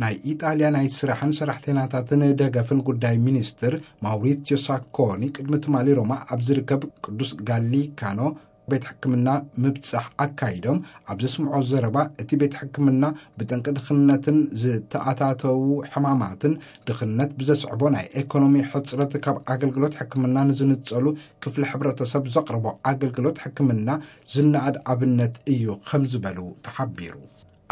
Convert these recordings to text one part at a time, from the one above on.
ናይ ኢጣልያ ናይ ስራሕን ሰራሕተኛታትን ደገፍን ጉዳይ ሚኒስትር ማውሪትዮ ሳኮኒ ቅድሚ ትማሊ ሮማ ኣብ ዝርከብ ቅዱስ ጋሊካኖ ቤት ሕክምና ምብጻሕ ኣካይዶም፣ ኣብ ዘስምዖ ዘረባ፣ እቲ ቤት ሕክምና ብጠንቂ ድኽነትን ዝተኣታተዉ ሕማማትን ድኽነት ብዘስዕቦ ናይ ኤኮኖሚ ሕጽረት ካብ ኣገልግሎት ሕክምና ንዝንጸሉ ክፍሊ ሕብረተሰብ ዘቕርቦ ኣገልግሎት ሕክምና ዝነኣድ ኣብነት እዩ ከም ዝበሉ ተሓቢሩ።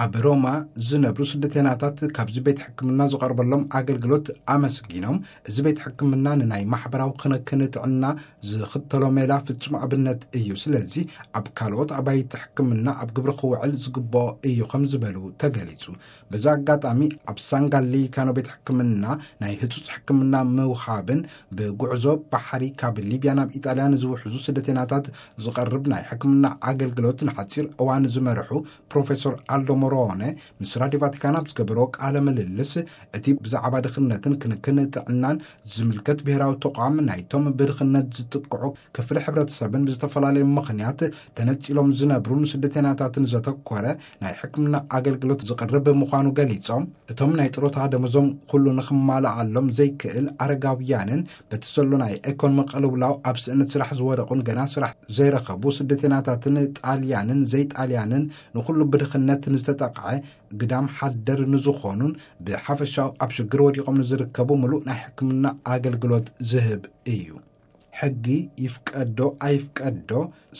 ኣብ ሮማ ዝነብሩ ስደተናታት ካብዚ ቤት ሕክምና ዝቐርበሎም ኣገልግሎት ኣመስጊኖም፣ እዚ ቤት ሕክምና ንናይ ማሕበራዊ ክንክን ጥዕና ዝኽተሎ ሜላ ፍጹም ኣብነት እዩ። ስለዚ ኣብ ካልኦት ኣባይቲ ሕክምና ኣብ ግብሪ ክውዕል ዝግብኦ እዩ ከም ዝበሉ ተገሊጹ። በዚ ኣጋጣሚ ኣብ ሳንጋሊካኖ ቤት ሕክምና ናይ ህጹጽ ሕክምና ምውሃብን ብጉዕዞ ባሕሪ ካብ ሊብያ ናብ ኢጣልያ ንዝውሕዙ ስደተናታት ዝቐርብ ናይ ሕክምና ኣገልግሎት ንሓጺር እዋን ዝመርሑ ፕሮፌሰር ኣልዶ ሞሮነ ምስ ራዲዮ ቫቲካን ኣብ ዝገበሮ ቃለ ምልልስ፣ እቲ ብዛዕባ ድኽነትን ክንክን ጥዕናን ዝምልከት ብሔራዊ ተቋም ናይቶም ብድኽነት ዝጥቅዑ ክፍሊ ሕብረተሰብን ብዝተፈላለየ ምኽንያት ተነጺሎም ዝነብሩን ስደተናታትን ዘተኮረ ናይ ሕክምና ኣገልግሎት ዝቕርብ ምዃኑ ገሊጾም፣ እቶም ናይ ጥሮታ ደመዞም ኩሉ ንኽማልኣሎም ዘይክእል ኣረጋውያንን በቲ ዘሎ ናይ ኤኮኖሚ ቅልውላው ኣብ ስእነት ስራሕ ዝወደቑን ገና ስራሕ ዘይረኸቡ ስደተናታትን ጣልያንን ዘይጣልያንን ንኹሉ ብድኽነት ንዝተጠቕዐ ግዳም ሓደር ንዝኾኑን ብሓፈሻው ኣብ ሽግር ወዲቖም ንዝርከቡ ምሉእ ናይ ሕክምና ኣገልግሎት ዝህብ እዩ። ሕጊ ይፍቀዶ ኣይፍቀዶ፣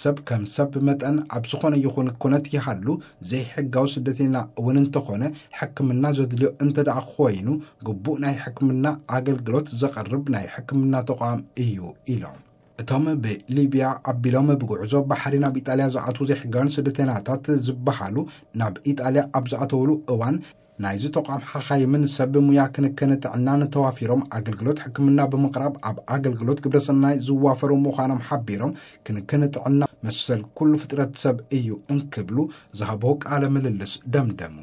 ሰብ ከም ሰብ መጠን ኣብ ዝኾነ ይኹን ኩነት ይሃሉ፣ ዘይሕጋዊ ስደተኛ እውን እንተኾነ፣ ሕክምና ዘድልዮ እንተ ደኣ ኮይኑ፣ ግቡእ ናይ ሕክምና ኣገልግሎት ዘቕርብ ናይ ሕክምና ተቋም እዩ ኢሎም። እቶም ብሊብያ ኣቢሎም ብጉዕዞ ባሕሪ ናብ ኢጣልያ ዝኣትዉ ዘይሕጋውያን ስደተናታት ዝበሃሉ፣ ናብ ኢጣልያ ኣብ ዝኣተውሉ እዋን፣ ናይዚ ተቋም ሓኻይምን ሰብ ሙያ ክንክን ጥዕናን ተዋፊሮም ኣገልግሎት ሕክምና ብምቕራብ ኣብ ኣገልግሎት ግብረሰናይ ዝዋፈሩ ምዃኖም ሓቢሮም፣ ክንክን ጥዕና መሰል ኩሉ ፍጥረት ሰብ እዩ እንክብሉ ዝሃብዎ ቃለ ምልልስ ደምደሙ።